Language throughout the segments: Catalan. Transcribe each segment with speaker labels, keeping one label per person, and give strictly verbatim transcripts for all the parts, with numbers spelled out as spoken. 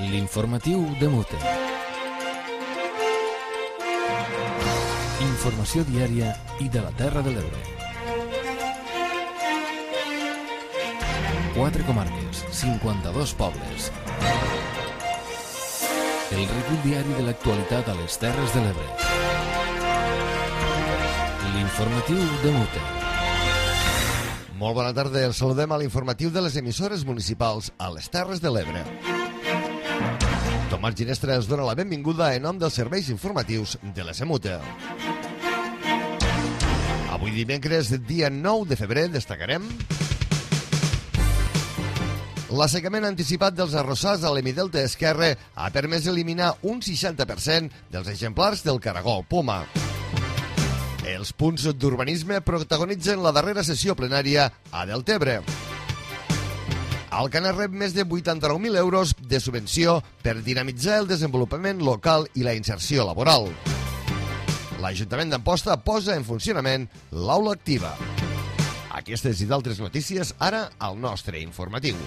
Speaker 1: L'informatiu de Mute. Informació diària i de la Terra de l'Ebre. Quatre comarques, cinquanta-dos pobles. El recull diari de l'actualitat a les Terres de l'Ebre. L'informatiu de Mute.
Speaker 2: Molt bona tarda, els saludem a l'informatiu de les emissores municipals a les Terres de l'Ebre. Tomàs Ginestra ens dona la benvinguda en nom dels serveis informatius de la Semute. Avui dimecres, dia nou de febrer, destacarem l'assecament anticipat dels arrossars a l'hemidelta esquerre ha permès eliminar un seixanta per cent dels exemplars del caragol poma. Els punts d'urbanisme protagonitzen la darrera sessió plenària a Deltebre. Alcanar rep més de vuitanta-nou mil euros de subvenció per dinamitzar el desenvolupament local i la inserció laboral. L'Ajuntament d'Amposta posa en funcionament l'aula activa. Aquestes i d'altres notícies ara al nostre informatiu.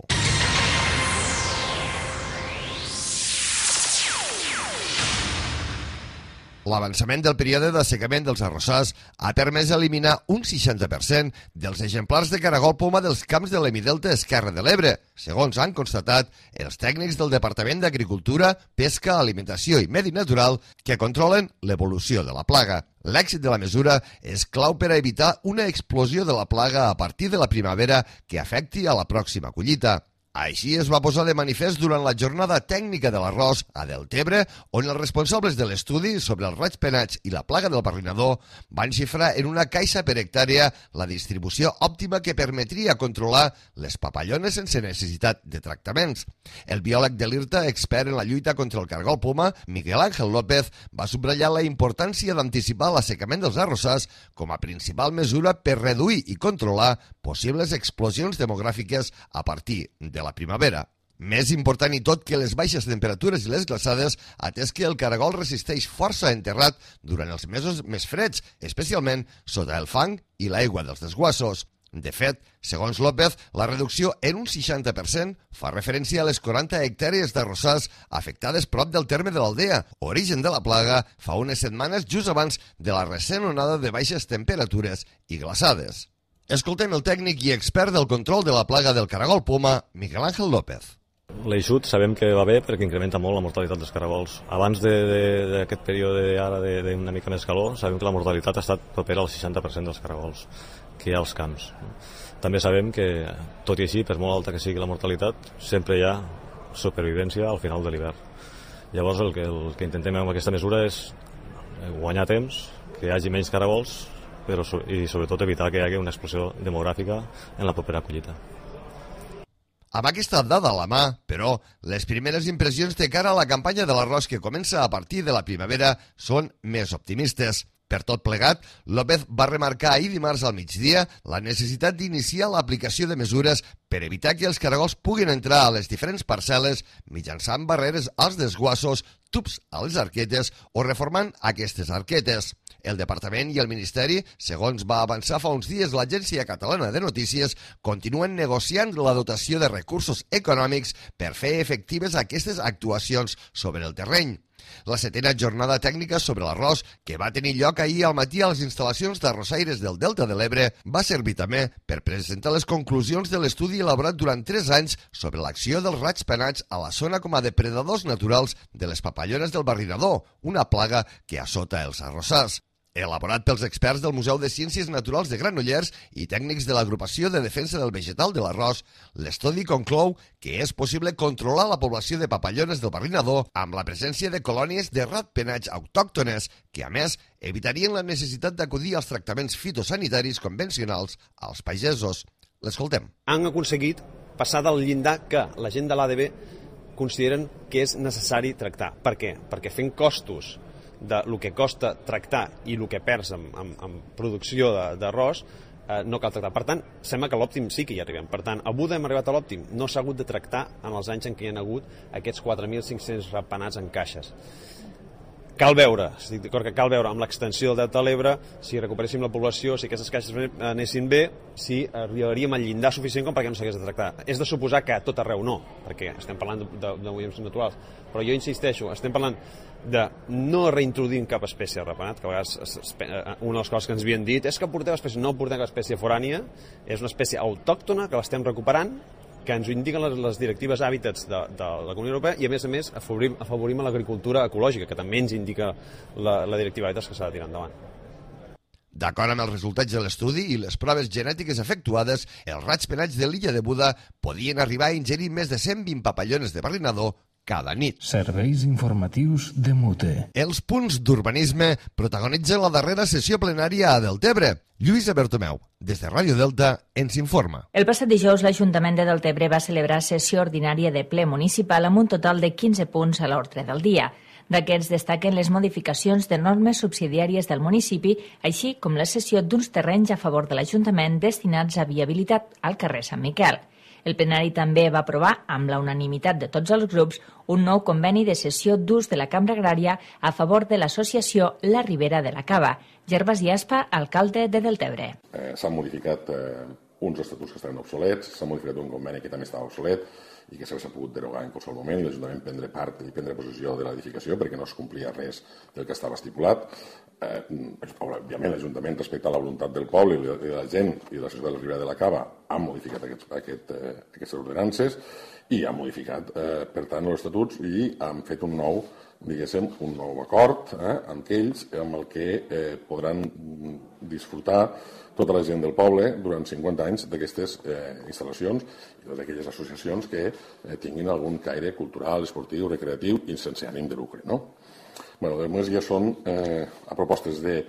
Speaker 2: L'avançament del període d'assecament dels arrossars ha permès eliminar un seixanta per cent dels exemplars de caragol poma dels camps de l'hemidelta esquerre de l'Ebre, segons han constatat els tècnics del Departament d'Agricultura, Pesca, Alimentació i Medi Natural que controlen l'evolució de la plaga. L'èxit de la mesura és clau per a evitar una explosió de la plaga a partir de la primavera que afecti a la pròxima collita. Així es va posar de manifest durant la jornada tècnica de l'arròs a Deltebre, on els responsables de l'estudi sobre els raigs penats i la plaga del barrinador van xifrar en una caixa per hectàrea la distribució òptima que permetria controlar les papallones sense necessitat de tractaments. El biòleg de l'IRTA, expert en la lluita contra el caragol poma, Miguel Ángel López, va subratllar la importància d'anticipar l'assecament dels arrossars com a principal mesura per reduir i controlar possibles explosions demogràfiques a partir de la primavera. Més important i tot que les baixes temperatures i les glaçades, atès que el caragol resisteix força enterrat durant els mesos més freds, especialment sota el fang i l'aigua dels desguassos. De fet, segons López, la reducció en un seixanta per cent fa referència a les quaranta hectàrees d'arrossars afectades prop del terme de l'Aldea, origen de la plaga fa unes setmanes just abans de la recent onada de baixes temperatures i glaçades. Escoltem el tècnic i expert del control de la plaga del caragol poma, Miguel Ángel López.
Speaker 3: L'eixut sabem que va bé perquè incrementa molt la mortalitat dels caragols. Abans d'aquest període ara d'una mica més calor, sabem que la mortalitat ha estat propera al seixanta per cent dels caragols que hi ha als camps. També sabem que, tot i així, per molt alta que sigui la mortalitat, sempre hi ha supervivència al final de l'hivern. Llavors el que, el que intentem amb aquesta mesura és guanyar temps, que hi hagi menys caragols, però i sobretot evitar que hi hagi una explosió demogràfica en la propera collita.
Speaker 2: Amb aquesta dada a la mà, però, les primeres impressions de cara a la campanya de l'arròs que comença a partir de la primavera són més optimistes. Per tot plegat, López va remarcar ahir dimarts al migdia la necessitat d'iniciar l'aplicació de mesures per evitar que els caragols puguin entrar a les diferents parcel·les mitjançant barreres als desguassos, tubs a les arquetes o reformant aquestes arquetes. El Departament i el Ministeri, segons va avançar fa uns dies l'Agència Catalana de Notícies, continuen negociant la dotació de recursos econòmics per fer efectives aquestes actuacions sobre el terreny. La setena jornada tècnica sobre l'arròs, que va tenir lloc ahir al matí a les instal·lacions d'arrossaires del Delta de l'Ebre, va servir també per presentar les conclusions de l'estudi elaborat durant tres anys sobre l'acció dels raigs penats a la zona com a depredadors naturals de les papallones del barrinador, una plaga que assota els arrossars. Elaborat pels experts del Museu de Ciències Naturals de Granollers i tècnics de l'Agrupació de Defensa del Vegetal de l'Arròs, l'estudi conclou que és possible controlar la població de papallones del barrinador amb la presència de colònies de ratpenats autòctones que, a més, evitarien la necessitat d'acudir als tractaments fitosanitaris convencionals als pagesos. L'escoltem.
Speaker 4: Han aconseguit passar del llindar que la gent de l'A D B consideren que és necessari tractar. Per què? Perquè fent costos de lo que costa tractar i el que perds en, en, en producció d'arròs, eh, no cal tractar. Per tant, sembla que a l'òptim sí que hi arribem. Per tant, a Buda hem arribat a l'òptim. No s'ha hagut de tractar en els anys en què hi ha hagut aquests quatre mil cinc-cents ratpenats en caixes. cal veure, estic d'acord que cal veure amb l'extensió del Delta de l'Ebre, si recuperéssim la població, si aquestes caixes anessin bé, si arribaríem al llindar suficient com perquè no s'hagués de tractar. És de suposar que a tot arreu no, perquè estem parlant de moviments naturals, però jo insisteixo, estem parlant de no reintroduir cap espècie repenat, que a vegades una de les coses que ens havien dit és que porteu espècie, no portem cap espècie forània, és una espècie autòctona que l'estem recuperant, que ens ho indiquen les, les directives hàbitats de, de la Comunitat Europea i, a més a més, afavorim, afavorim l'agricultura ecològica, que també ens indica la, la directiva hàbitats que s'ha de tirar endavant.
Speaker 2: D'acord amb els resultats de l'estudi i les proves genètiques efectuades, els ratpenats de l'illa de Buda podien arribar a ingerir més de cent vint papallones de barrinador cada nit.
Speaker 1: Serveis informatius de Mute.
Speaker 2: Els punts d'urbanisme protagonitzen la darrera sessió plenària a Deltebre. Lluïsa Bertomeu, des de Ràdio Delta, ens informa.
Speaker 5: El passat dijous, l'Ajuntament de Deltebre va celebrar sessió ordinària de ple municipal amb un total de quinze punts a l'ordre del dia. D'aquests destaquen les modificacions de normes subsidiàries del municipi, així com la cessió d'uns terrenys a favor de l'Ajuntament destinats a viabilitat al carrer Sant Miquel. El plenari també va aprovar, amb la unanimitat de tots els grups, un nou conveni de cessió d'ús de la Cambra Agrària a favor de l'associació La Ribera de la Cava. Gervasi Aspa, alcalde de Deltebre.
Speaker 6: Eh, S'han modificat eh, uns estatuts que estaven obsolets, s'ha modificat un conveni que també estava obsolet i que s'ha pogut derogar en qualsevol moment i l'Ajuntament prendre part i prendre possessió de l'edificació perquè no es complia res del que estava estipulat. Eh, òbviament, l'Ajuntament, respecte a la voluntat del poble i de la gent i de la societat de la Ribera de la Cava, han modificat aquests, aquest, eh, aquestes ordenances i han modificat, eh, per tant, els estatuts i han fet un nou, diguéssim, un nou acord eh, amb ells, amb el que eh, podran disfrutar tota la gent del poble durant cinquanta anys d'aquestes eh, instal·lacions i totes aquelles associacions que eh, tinguin algun caire cultural, esportiu, recreatiu i sense ànim de lucre, no? Bueno, després ja són eh, a propostes de,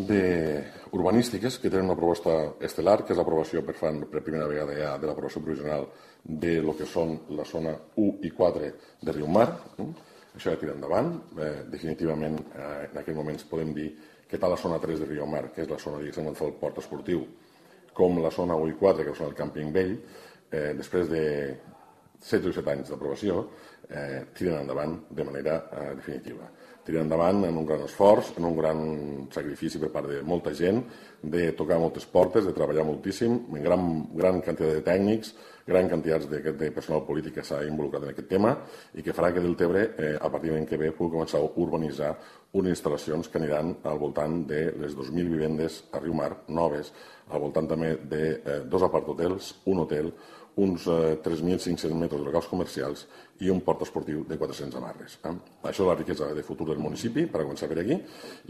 Speaker 6: de urbanístiques que tenen una proposta estel·lar, que és l'aprovació per fan per primera vegada ja de l'aprovació provisional de lo que són la zona u i quatre de Riumar. Eh? Això ja tira endavant. Eh, definitivament, eh, en aquests moments podem dir que tant la zona tres de Riumar, que és la zona, diguéssim, on fa el port esportiu, com la zona u i quatre, que és el càmping vell, eh, després de setze o set anys d'aprovació, eh, tiren endavant de manera eh, definitiva. Tiren endavant en un gran esforç, en un gran sacrifici per part de molta gent, de tocar moltes portes, de treballar moltíssim, amb gran, gran quantitat de tècnics, gran quantitat de, de personal polític que s'ha involucrat en aquest tema i que farà que Deltebre, eh, a partir de l'any que ve, pugui començar a urbanitzar unes instal·lacions que aniran al voltant de les dos mil vivendes a Riumar, noves, al voltant també de eh, dos apart-hotels, un hotel, uns eh, tres mil cinc-cents metres de locals comercials i un port esportiu de quatre-cents amarres. Eh? Això és la riquesa de futur del municipi, per començar per aquí,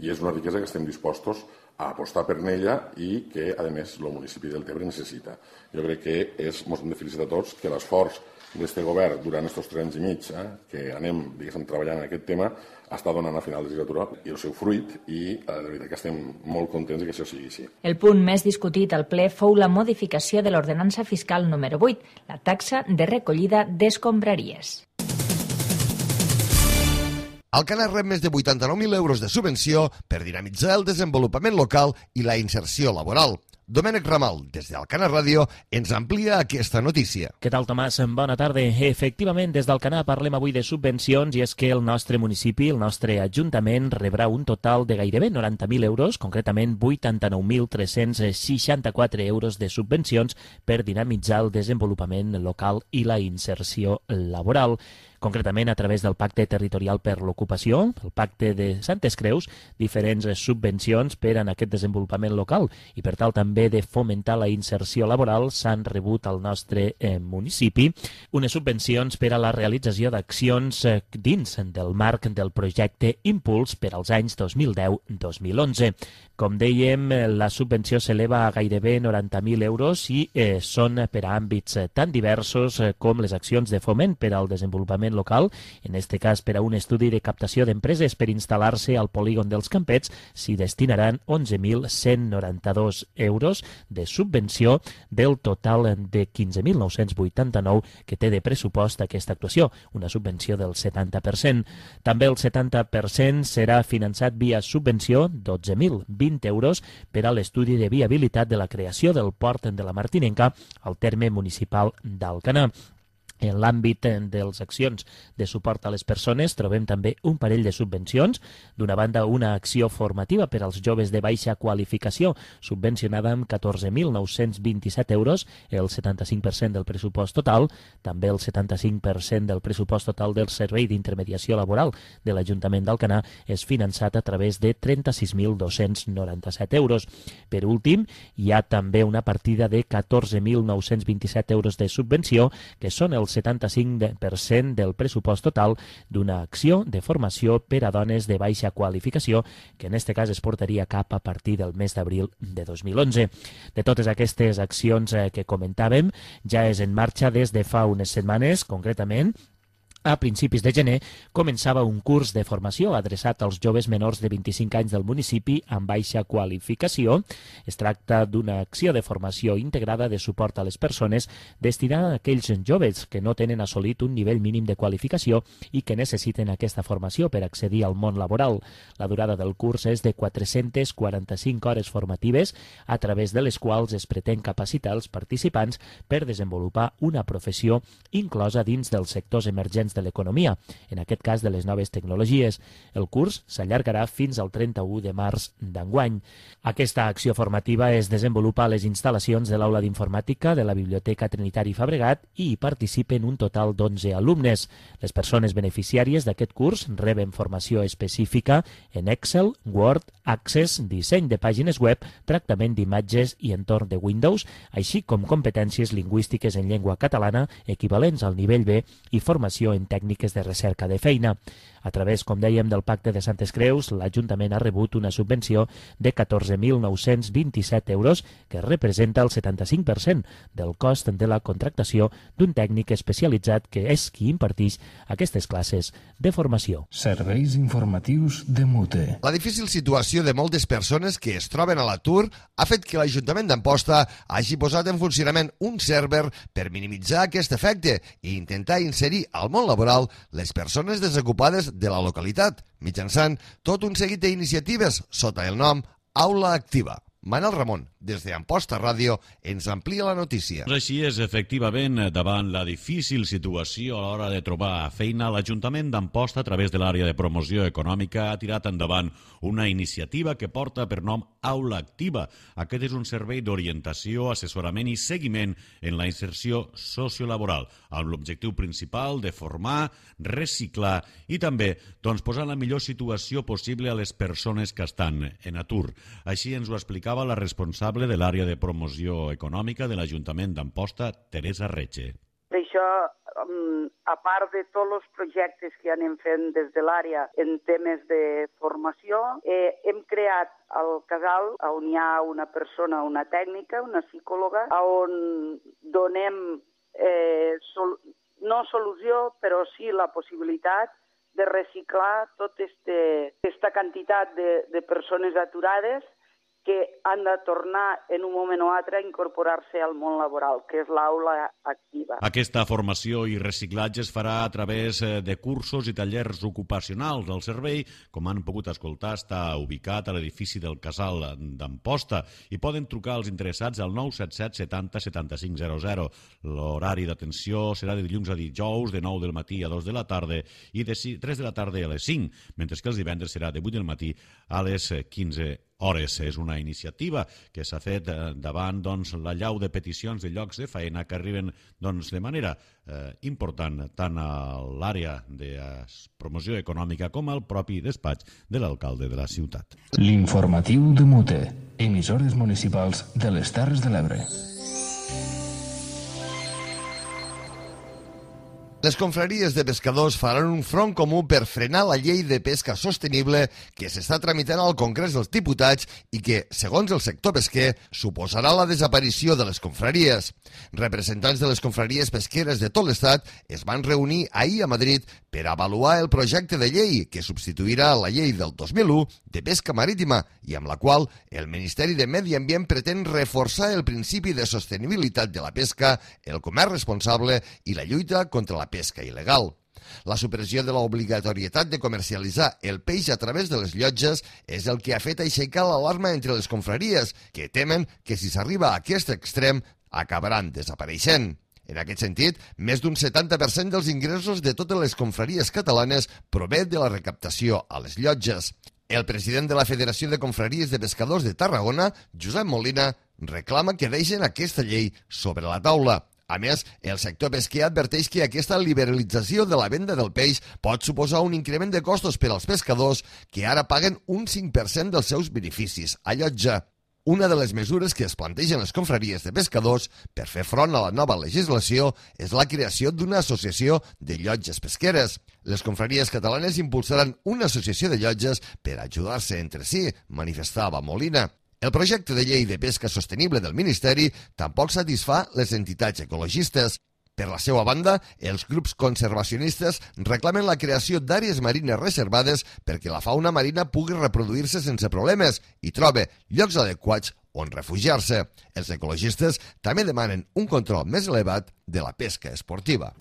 Speaker 6: i és una riquesa que estem dispostos a apostar per ella i que, a més, el municipi del Deltebre necessita. Jo crec que és, ens hem de felicitar a tots que l'esforç d'aquest govern durant aquests tres anys i mig eh, que anem, diguéssim, treballant en aquest tema està donant a final de legislatura i el seu fruit i eh, de veritat que estem molt contents que això sigui així.
Speaker 5: El punt més discutit al ple fou la modificació de l'ordenança fiscal número vuit, la taxa de recollida d'escombraries.
Speaker 2: Alcanar rep més de vuitanta-nou mil euros de subvenció per dinamitzar el desenvolupament local i la inserció laboral. Domènec Ramal, des d'Alcanar Ràdio, ens amplia aquesta notícia.
Speaker 7: Què tal, Tomàs? Bona tarda. Efectivament, des d'Alcanar parlem avui de subvencions i és que el nostre municipi, el nostre ajuntament, rebrà un total de gairebé noranta mil euros, concretament vuitanta-nou mil tres-cents seixanta-quatre euros de subvencions per dinamitzar el desenvolupament local i la inserció laboral. Concretament a través del Pacte Territorial per l'Ocupació, el Pacte de Santes Creus, diferents subvencions per a aquest desenvolupament local i per tal també de fomentar la inserció laboral s'han rebut al nostre eh, municipi unes subvencions per a la realització d'accions eh, dins del marc del projecte Impuls per als anys dos mil deu dos mil onze. Com dèiem, la subvenció s'eleva a gairebé noranta mil euros i eh, són per a àmbits tan diversos eh, com les accions de foment per al desenvolupament local, en aquest cas per a un estudi de captació d'empreses per instal·lar-se al polígon dels Campets, s'hi destinaran onze mil cent noranta-dos euros de subvenció del total de quinze mil nou-cents vuitanta-nou que té de pressupost aquesta actuació, una subvenció del setanta per cent. També el setanta per cent serà finançat via subvenció, dotze mil vint euros, per a l'estudi de viabilitat de la creació del port de la Martinenca al terme municipal d'Alcanar. En l'àmbit de les accions de suport a les persones trobem també un parell de subvencions. D'una banda, una acció formativa per als joves de baixa qualificació, subvencionada amb catorze mil nou-cents vint-i-set euros, el setanta-cinc per cent del pressupost total. També el setanta-cinc per cent del pressupost total del Servei d'Intermediació Laboral de l'Ajuntament d'Alcanar és finançat a través de trenta-sis mil dos-cents noranta-set euros. Per últim, hi ha també una partida de catorze mil nou-cents vint-i-set euros de subvenció, que són els setanta-cinc per cent del pressupost total d'una acció de formació per a dones de baixa qualificació, que en aquest cas es portaria a cap a partir del mes d'abril de dos mil onze. De totes aquestes accions que comentàvem, ja és en marxa des de fa unes setmanes, concretament, a principis de gener començava un curs de formació adreçat als joves menors de vint-i-cinc anys del municipi amb baixa qualificació. Es tracta d'una acció de formació integrada de suport a les persones destinada a aquells joves que no tenen assolit un nivell mínim de qualificació i que necessiten aquesta formació per accedir al món laboral. La durada del curs és de quatre-centes quaranta-cinc hores formatives, a través de les quals es pretén capacitar els participants per desenvolupar una professió inclosa dins dels sectors emergents de l'economia, en aquest cas de les noves tecnologies. El curs s'allargarà fins al trenta-u de març d'enguany. Aquesta acció formativa es desenvolupa a les instal·lacions de l'Aula d'Informàtica de la Biblioteca Trinitari Fabregat i hi participen un total d'onze alumnes. Les persones beneficiàries d'aquest curs reben formació específica en Excel, Word, Access, disseny de pàgines web, tractament d'imatges i entorn de Windows, així com competències lingüístiques en llengua catalana equivalents al nivell B i formació en tècniques de recerca de feina. A través, com dèiem, del Pacte de Santes Creus, l'Ajuntament ha rebut una subvenció de catorze mil nou-cents vint-i-set euros, que representa el setanta-cinc per cent del cost de la contractació d'un tècnic especialitzat que és qui imparteix aquestes classes de formació.
Speaker 8: Serveis informatius de Mute.
Speaker 2: La difícil situació de moltes persones que es troben a l'atur ha fet que l'Ajuntament d'Amposta hagi posat en funcionament un server per minimitzar aquest efecte i intentar inserir al món laboral les persones desocupades de la localitat, mitjançant tot un seguit d'iniciatives sota el nom Aula Activa. Manel Ramon, des d'Amposta Ràdio, ens amplia la notícia.
Speaker 9: Així és, efectivament, davant la difícil situació a l'hora de trobar feina, l'Ajuntament d'Amposta, a través de l'àrea de promoció econòmica, ha tirat endavant una iniciativa que porta per nom Aula Activa. Aquest és un servei d'orientació, assessorament i seguiment en la inserció sociolaboral, amb l'objectiu principal de formar, reciclar i també doncs, posar la millor situació possible a les persones que estan en atur. Així ens ho explicava la responsable de l'àrea de promoció econòmica de l'Ajuntament d'Amposta, Teresa Retxe.
Speaker 10: Això, a part de tots els projectes que anem fent des de l'àrea en temes de formació, eh, hem creat al casal on hi ha una persona, una tècnica, una psicòloga, on donem eh, sol, no solució, però sí la possibilitat de reciclar tota aquesta quantitat de, de persones aturades que han de tornar en un moment o altre a incorporar-se al món laboral, que és l'aula activa.
Speaker 9: Aquesta formació i reciclatge es farà a través de cursos i tallers ocupacionals. El servei, com han pogut escoltar, està ubicat a l'edifici del Casal d'Amposta i poden trucar als interessats al nou set set setanta setanta-cinc zero zero. L'horari d'atenció serà de dilluns a dijous, de nou del matí a dos de la tarda i de tres de la tarda a les cinc, mentre que els divendres serà de vuit del matí a les quinze hores. És una iniciativa que s'ha fet davant doncs, la llau de peticions de llocs de feina que arriben doncs, de manera eh, important tant a l'àrea de promoció econòmica com al propi despatx de l'alcalde de la ciutat.
Speaker 8: L'informatiu de Mute, emissores municipals de les Terres de l'Ebre.
Speaker 2: Les confraries de pescadors faran un front comú per frenar la llei de pesca sostenible que s'està tramitant al Congrés dels Diputats i que, segons el sector pesquer, suposarà la desaparició de les confraries. Representants de les confraries pesqueres de tot l'Estat es van reunir ahir a Madrid per avaluar el projecte de llei que substituirà la llei del dos mil u de pesca marítima i amb la qual el Ministeri de Medi Ambient pretén reforçar el principi de sostenibilitat de la pesca, el comerç responsable i la lluita contra la pesca il·legal. La supressió de l'obligatorietat de comercialitzar el peix a través de les llotges és el que ha fet aixecar l'alarma entre les confraries, que temen que si s'arriba a aquest extrem acabaran desapareixent. En aquest sentit, més d'un setanta per cent dels ingressos de totes les confraries catalanes prové de la recaptació a les llotges. El president de la Federació de Confraries de Pescadors de Tarragona, Josep Molina, reclama que deixen aquesta llei sobre la taula. A més, el sector pesquer adverteix que aquesta liberalització de la venda del peix pot suposar un increment de costos per als pescadors que ara paguen un cinc per cent dels seus beneficis a llotja. Una de les mesures que es plantegen les confraries de pescadors per fer front a la nova legislació és la creació d'una associació de llotges pesqueres. Les confraries catalanes impulsaran una associació de llotges per ajudar-se entre si, manifestava Molina. El projecte de llei de pesca sostenible del Ministeri tampoc satisfà les entitats ecologistes. Per la seva banda, els grups conservacionistes reclamen la creació d'àrees marines reservades perquè la fauna marina pugui reproduir-se sense problemes i trobe llocs adequats on refugiar-se. Els ecologistes també demanen un control més elevat de la pesca esportiva.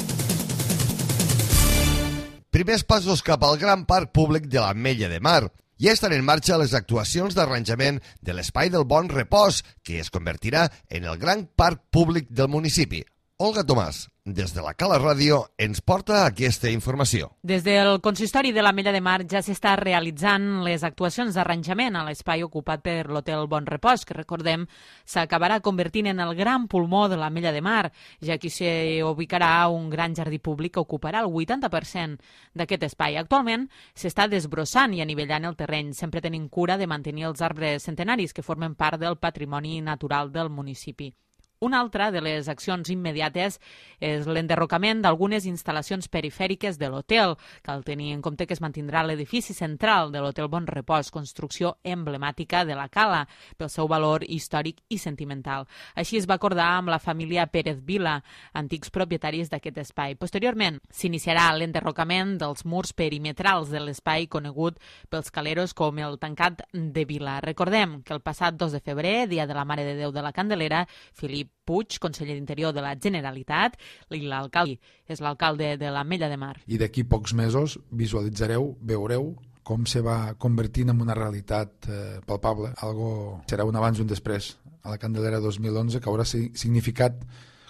Speaker 2: Primers passos cap al gran parc públic de l'Ametlla de Mar. Ja estan en marxa les actuacions d'arranjament de l'Espai del Bon Repòs, que es convertirà en el gran parc públic del municipi. Olga Tomàs, des de la Cala Ràdio, ens porta aquesta informació.
Speaker 11: Des del Consistori de l'Ametlla de Mar ja s'està realitzant les actuacions d'arranjament a l'espai ocupat per l'Hotel Bon Repòs, que recordem s'acabarà convertint en el gran pulmó de l'Ametlla de Mar, ja que s'hi ubicarà un gran jardí públic que ocuparà el vuitanta per cent d'aquest espai. Actualment s'està desbrossant i anivellant el terreny, sempre tenint cura de mantenir els arbres centenaris que formen part del patrimoni natural del municipi. Una altra de les accions immediates és l'enderrocament d'algunes instal·lacions perifèriques de l'hotel. Cal tenir en compte que es mantindrà l'edifici central de l'Hotel Bon Repòs, construcció emblemàtica de la Cala, pel seu valor històric i sentimental. Així es va acordar amb la família Pérez Vila, antics propietaris d'aquest espai. Posteriorment, s'iniciarà l'enderrocament dels murs perimetrals de l'espai conegut pels caleros com el Tancat de Vila. Recordem que el passat dos de febrer, dia de la Mare de Déu de la Candelera, Felip Puig, conseller d'Interior de la Generalitat, i l'alcalde és l'alcalde de l'Ametlla de Mar.
Speaker 12: I d'aquí pocs mesos visualitzareu, veureu com se va convertint en una realitat eh, palpable. Algo serà un abans i un després. A la Candelera dos mil onze, que haurà significat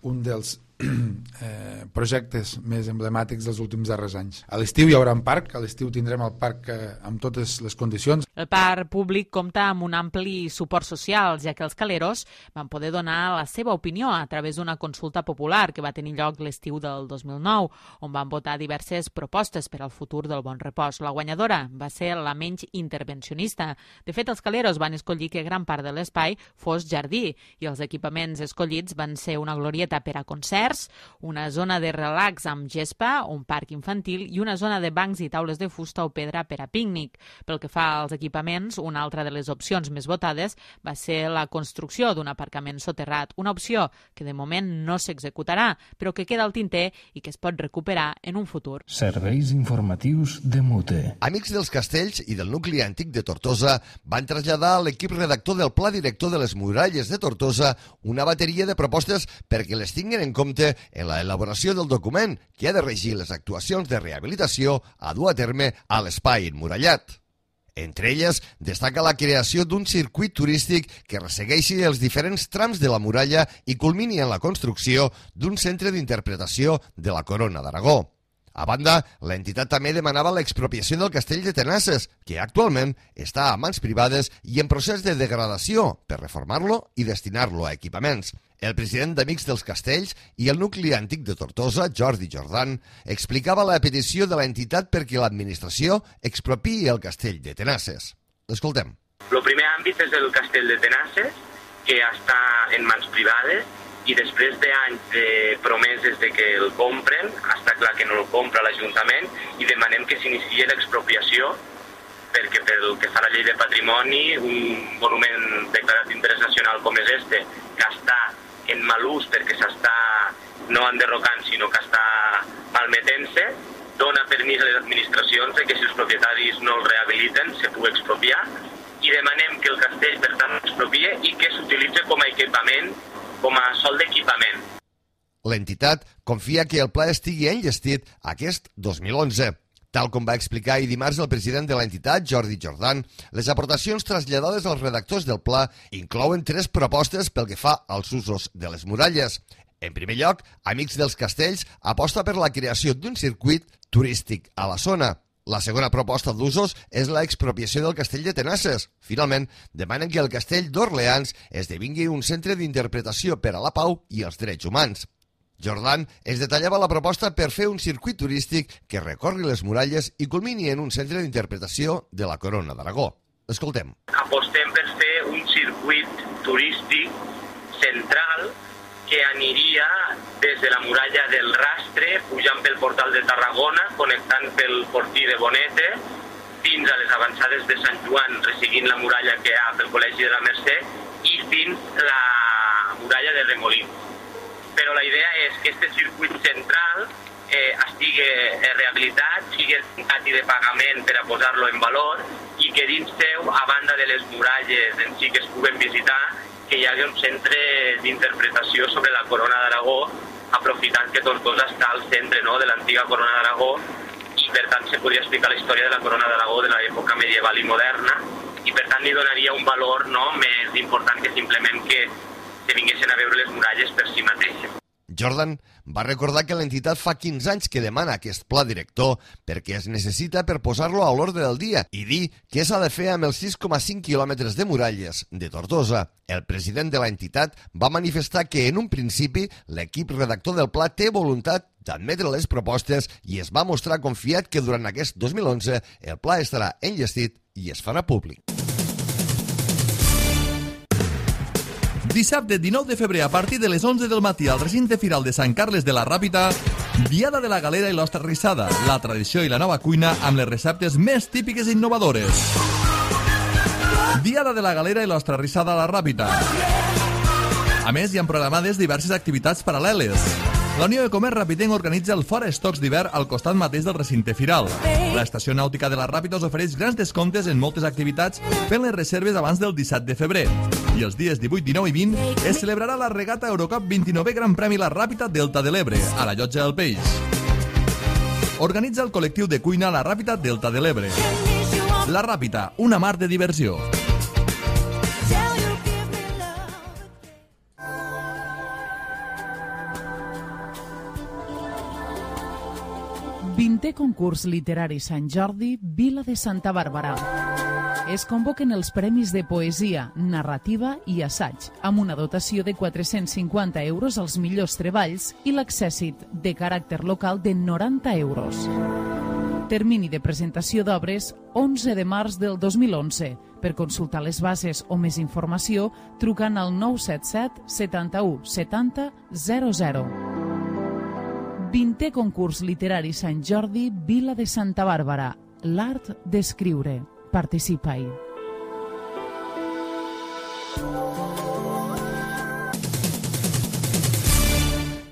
Speaker 12: un dels eh, projectes més emblemàtics dels últims darrers anys. A l'estiu hi haurà un parc, a l'estiu tindrem el parc eh, amb totes les condicions.
Speaker 11: El parc públic compta amb un ampli suport social, ja que els caleros van poder donar la seva opinió a través d'una consulta popular que va tenir lloc l'estiu del dos mil nou, on van votar diverses propostes per al futur del Bon Repòs. La guanyadora va ser la menys intervencionista. De fet, els caleros van escollir que gran part de l'espai fos jardí i els equipaments escollits van ser una glorieta per a concerts, una zona de relax amb gespa, un parc infantil i una zona de bancs i taules de fusta o pedra per a pícnic. Pel que fa als equipaments, una altra de les opcions més votades va ser la construcció d'un aparcament soterrat, una opció que de moment no s'executarà, però que queda al tinter i que es pot recuperar en un futur.
Speaker 8: Serveis informatius de Mute.
Speaker 2: Amics dels Castells i del nucli antic de Tortosa van traslladar a l'equip redactor del Pla Director de les Muralles de Tortosa una bateria de propostes perquè les tinguin en compte en la elaboració del document que ha de regir les actuacions de rehabilitació a dur a terme a l'espai emmurallat. Entre elles, destaca la creació d'un circuit turístic que ressegueixi els diferents trams de la muralla i culmini en la construcció d'un centre d'interpretació de la Corona d'Aragó. A banda, l'entitat també demanava l'expropiació del castell de Tenasses, que actualment està a mans privades i en procés de degradació per reformar-lo i destinar-lo a equipaments. El president d'Amics dels Castells i el nucli antic de Tortosa, Jordi Jordan, explicava la petició de l'entitat perquè l'administració expropiï el castell de Tenasses. L'escoltem.
Speaker 13: El primer àmbit és el castell de Tenasses, que està en mans privades, i després d'anys de promeses de que el compren, està clar que no el compra l'Ajuntament, i demanem que s'iniciï l'expropiació, perquè pel que fa a la llei de patrimoni, un monument declarat d'interès nacional com és este, que està en mal ús perquè s'està no enderrocant, sinó que està malmetent-se, dona permís a les administracions de que si els propietaris no el rehabiliten se pugui expropiar, i demanem que el castell, per tant, expropie i que s'utilitzi com a equipament, com a sol d'equipament.
Speaker 2: L'entitat confia que el pla estigui enllestit aquest dos mil onze. Tal com va explicar ahir dimarts el president de l'entitat, Jordi Jordan, les aportacions traslladades als redactors del pla inclouen tres propostes pel que fa als usos de les muralles. En primer lloc, Amics dels Castells aposta per la creació d'un circuit turístic a la zona. La segona proposta d'usos és l'expropiació del castell de Tenasses. Finalment, demanen que el castell d'Orleans esdevingui un centre d'interpretació per a la pau i els drets humans. Jordan es detallava la proposta per fer un circuit turístic que recorri les muralles i culmini en un centre d'interpretació de la Corona d'Aragó. Escoltem.
Speaker 13: Apostem per fer un circuit turístic central que aniria des de la muralla del Rastre, pujant pel portal de Tarragona, connectant pel portí de Bonete, fins a les avançades de Sant Joan, resseguint la muralla que hi ha pel Col·legi de la Mercè, i fins la muralla de Remolins. Però la idea és que aquest circuit central eh, estigui rehabilitat, sigui tancat i de pagament per a posar-lo en valor, i que dins seu, a banda de les muralles en si que es puguen visitar, que hi hagi un centre d'interpretació sobre la Corona d'Aragó, aprofitant que Tortosa està al centre, no?, de l'antiga Corona d'Aragó, i per tant se podria explicar la història de la Corona d'Aragó de l'època medieval i moderna, i per tant li donaria un valor, no?, més important que simplement que se vinguessin a veure les muralles per si mateixes.
Speaker 2: Jordan va recordar que l'entitat fa quinze anys que demana aquest pla director perquè es necessita per posar-lo a l'ordre del dia i dir què s'ha de fer amb els sis coma cinc quilòmetres de muralles de Tortosa. El president de l'entitat va manifestar que en un principi l'equip redactor del pla té voluntat d'admetre les propostes i es va mostrar confiat que durant aquest dos mil onze el pla estarà enllestit i es farà públic.
Speaker 14: Dissabte dinou de febrer a partir de les onze del matí al recinte firal de Sant Carles de la Ràpita, Diada de la Galera i l'Ostra Rissada, la tradició i la nova cuina amb les receptes més típiques i innovadores. Diada de la Galera i l'Ostra Rissada a la Ràpita. A més, hi ha programades diverses activitats paral·leles. La Unió de Comerç Ràpitenc organitza el Fora Estocs d'hivern al costat mateix del recinte firal. L'Estació Nàutica de la Ràpita us ofereix grans descomptes en moltes activitats fent les reserves abans del disset de febrer. I els dies divuit, dinou i vint es celebrarà la regata Eurocup vint-i-novè Gran Premi La Ràpita Delta de l'Ebre, a la Llotja del Peix. Organitza el col·lectiu de cuina La Ràpita Delta de l'Ebre. La Ràpita, una mar de diversió.
Speaker 15: vintè concurs literari Sant Jordi, Vila de Santa Bàrbara. Es convoquen els premis de poesia, narrativa i assaig, amb una dotació de quatre-cents cinquanta euros als millors treballs i l'accèssit de caràcter local de noranta euros. Termini de presentació d'obres onze de març del dos mil onze. Per consultar les bases o més informació, trucant al nou set set setanta-u setanta zero zero. vintè concurs literari Sant Jordi, Vila de Santa Bàrbara. L'art d'escriure. Participa-hi.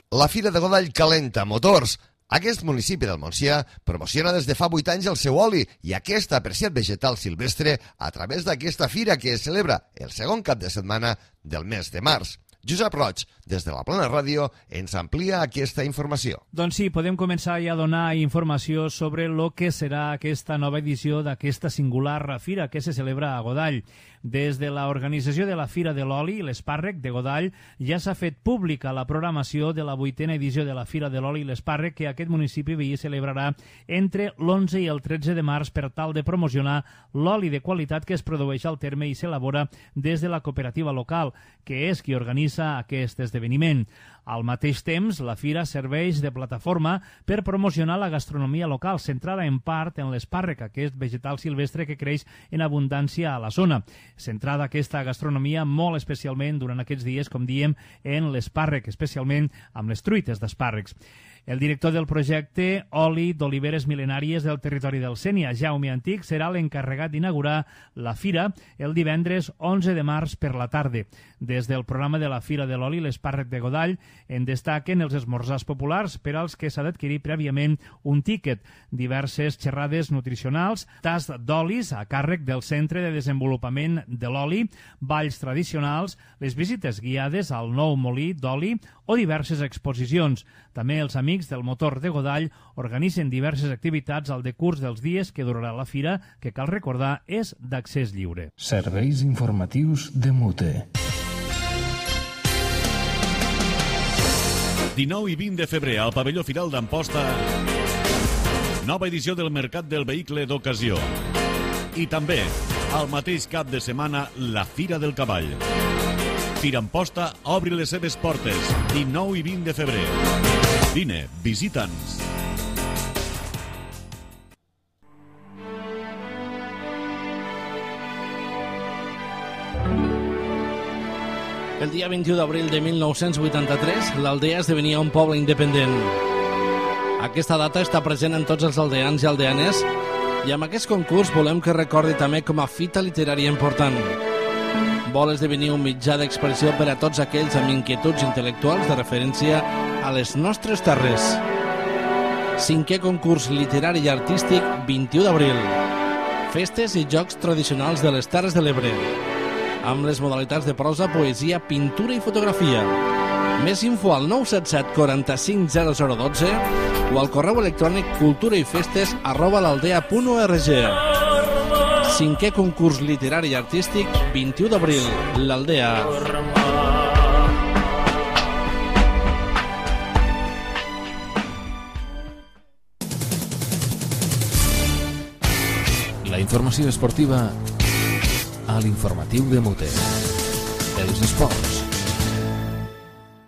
Speaker 2: La Fira de Godall calenta motors. Aquest municipi del Montsià promociona des de fa vuit anys el seu oli i aquest apreciat vegetal silvestre a través d'aquesta fira que es celebra el segon cap de setmana del mes de març. Josep Roig, des de la Plana Ràdio, ens amplia aquesta informació.
Speaker 16: Doncs sí, podem començar ja a donar informació sobre el que serà aquesta nova edició d'aquesta singular fira que se celebra a Godall. Des de l'organització de la Fira de l'Oli i l'Espàrrec de Godall ja s'ha fet pública la programació de la vuitena edició de la Fira de l'Oli i l'Espàrrec que aquest municipi veí celebrarà entre l'onze i el tretze de març per tal de promocionar l'oli de qualitat que es produeix al terme i s'elabora des de la cooperativa local, que és qui organitza aquest esdeveniment. Al mateix temps, la fira serveix de plataforma per promocionar la gastronomia local, centrada en part en l'espàrrec, aquest vegetal silvestre que creix en abundància a la zona. Centrada aquesta gastronomia molt especialment durant aquests dies, com diem, en l'espàrrec, especialment amb les truites d'espàrrecs. El director del projecte Oli d'Oliveres Mil·lenàries del territori del Sénia, Jaume Antic, serà l'encarregat d'inaugurar la fira el divendres onze de març per la tarda. Des del programa de la Fira de l'Oli i l'Espàrrec de Godall en destaquen els esmorzars populars per als que s'ha d'adquirir prèviament un tíquet, diverses xerrades nutricionals, tast d'olis a càrrec del Centre de Desenvolupament de l'Oli, balls tradicionals, les visites guiades al nou molí d'oli o diverses exposicions. També els amics del motor de Godall organitzen diverses activitats al decurs dels dies que durarà la fira, que cal recordar és d'accés lliure.
Speaker 8: Serveis informatius de Mute.
Speaker 9: dinou i vint de febrer al pavelló Firal d'Amposta, nova edició del Mercat del Vehicle d'Ocasió. I també, al mateix cap de setmana, la Fira del Cavall. Fira Amposta obri les seves portes, dinou i vint de febrer. Vine, visita'ns.
Speaker 17: El dia vint-i-u d'abril de mil nou-cents vuitanta-tres, l'Aldea esdevenia un poble independent. Aquesta data està present en tots els aldeans i aldeanes i amb aquest concurs volem que recordi també com a fita literària important. Vol esdevenir un mitjà d'expressió per a tots aquells amb inquietuds intel·lectuals de referència a les nostres terres. Cinquè concurs literari i artístic, vint-i-u d'abril. Festes i jocs tradicionals de les Terres de l'Ebre, amb les modalitats de prosa, poesia, pintura i fotografia. Més info al nou set set quaranta-cinc zero zero dotze o al correu electrònic culturaifestes arroba l'aldea punt org. Cinquè concurs literari i artístic, vint-i-u d'abril, l'Aldea.
Speaker 1: La informació esportiva a l'informatiu de Mute. Els esports.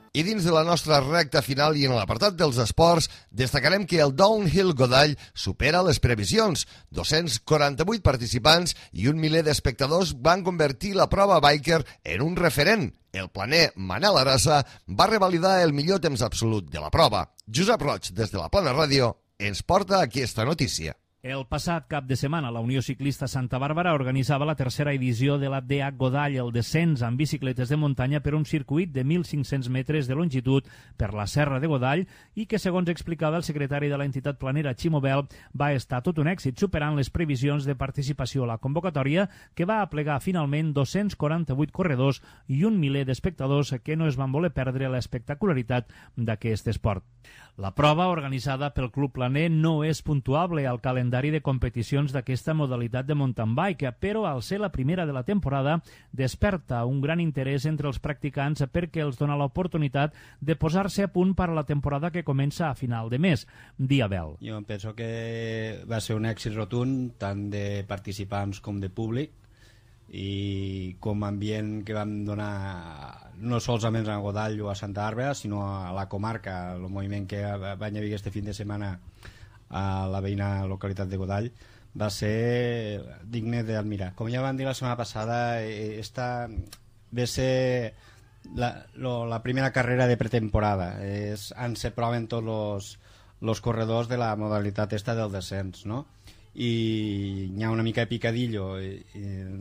Speaker 2: I dins de la nostra recta final i en l'apartat dels esports, destacarem que el Downhill Godall supera les previsions. dos-cents quaranta-vuit participants i un miler d'espectadors van convertir la prova biker en un referent. El planer Manel Arassa va revalidar el millor temps absolut de la prova. Josep Roig, des de la Plana Ràdio, ens porta aquesta notícia.
Speaker 16: El passat cap de setmana, la Unió Ciclista Santa Bàrbara organitzava la tercera edició de la D H Godall, el descens amb bicicletes de muntanya per un circuit de mil cinc-cents metres de longitud per la Serra de Godall i que, segons explicava el secretari de l'entitat planera, Ximo Bel, va estar tot un èxit, superant les previsions de participació a la convocatòria, que va aplegar finalment dos-cents quaranta-vuit corredors i un miler d'espectadors que no es van voler perdre l'espectacularitat d'aquest esport. La prova, organitzada pel Club Planer, no és puntuable al calendari de competicions d'aquesta modalitat de mountain bike, però al ser la primera de la temporada desperta un gran interès entre els practicants perquè els dona l'oportunitat de posar-se a punt per a la temporada que comença a final de mes. Diabel.
Speaker 18: Jo penso que va ser un èxit rotund, tant de participants com de públic, i com a ambient que vam donar no solament a Godall o a Santa Bàrbara, sinó a la comarca, el moviment que va haver este fin de setmana a la veïna localitat de Godall, va ser digne d'admirar. Com ja vam dir la setmana passada, esta va ser la, lo, la primera carrera de pretemporada. És, on se proven tots els, els corredors de la modalitat esta del descens, no? I hi ha una mica de picadillo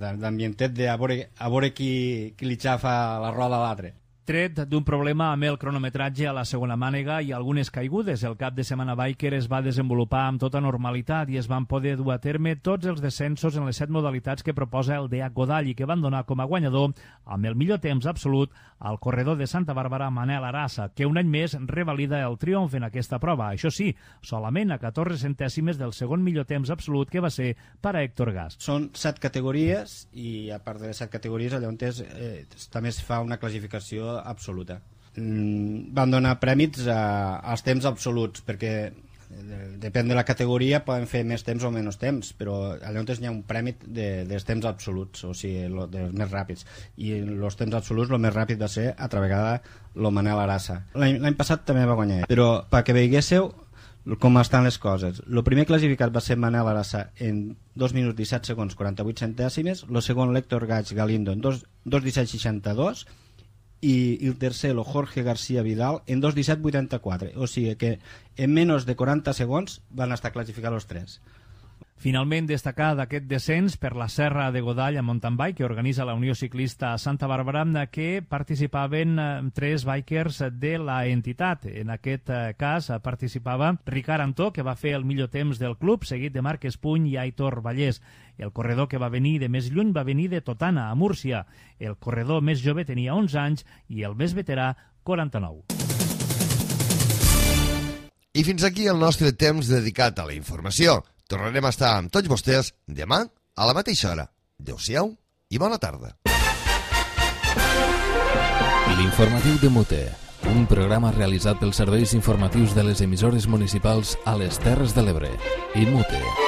Speaker 18: d'ambientet de a veure, a veure qui, qui li xafa la roda a l'altre.
Speaker 16: Tret d'un problema amb el cronometratge a la segona mànega i algunes caigudes, el cap de setmana biker es va desenvolupar amb tota normalitat i es van poder dur a terme tots els descensos en les set modalitats que proposa el D H Godall i que van donar com a guanyador, amb el millor temps absolut, al corredor de Santa Bàrbara, Manel Arassa, que un any més revalida el triomf en aquesta prova. Això sí, solament a catorze centèsimes del segon millor temps absolut, que va ser per a Héctor Gas.
Speaker 18: Són set categories i a part de les set categories allà on és, eh, també es fa una classificació absoluta. Mm, van donar prèmits a, als temps absoluts, perquè eh, depèn de la categoria poden fer més temps o menys temps, però allà on hi ha un prèmit de, dels temps absoluts, o sigui, lo, dels més ràpids, i els temps absoluts el més ràpid va ser altra vegada el Manel Arassa. L'any passat també va guanyar, però perquè veiéssiu com estan les coses. El primer classificat va ser Manel Arassa en dos minuts disset segons quaranta-vuit centèsimes, el segon l'Héctor Gaig Galindo en dos disset seixanta-dos i el tercer, el Jorge García Vidal, en dos disset vuitanta-quatre. O sigui que en menys de quaranta segons van estar classificats els tres.
Speaker 16: Finalment, destacar d'aquest descens per la Serra de Godall a mountain bike que organitza la Unió Ciclista Santa Bàrbara, que participaven tres bikers de la entitat. En aquest cas participava Ricard Antó, que va fer el millor temps del club, seguit de Marc Espuny i Aitor Vallès. El corredor que va venir de més lluny va venir de Totana, a Múrcia. El corredor més jove tenia onze anys i el més veterà, quaranta-nou.
Speaker 2: I fins aquí el nostre temps dedicat a la informació. Tornarem a estar amb tots vostès demà a la mateixa hora. Adéu-siau i bona tarda.
Speaker 1: L'informatiu de Mute, Un programa realitzat pels serveis informatius de les emissores municipals a les Terres de l'Ebre i Mute.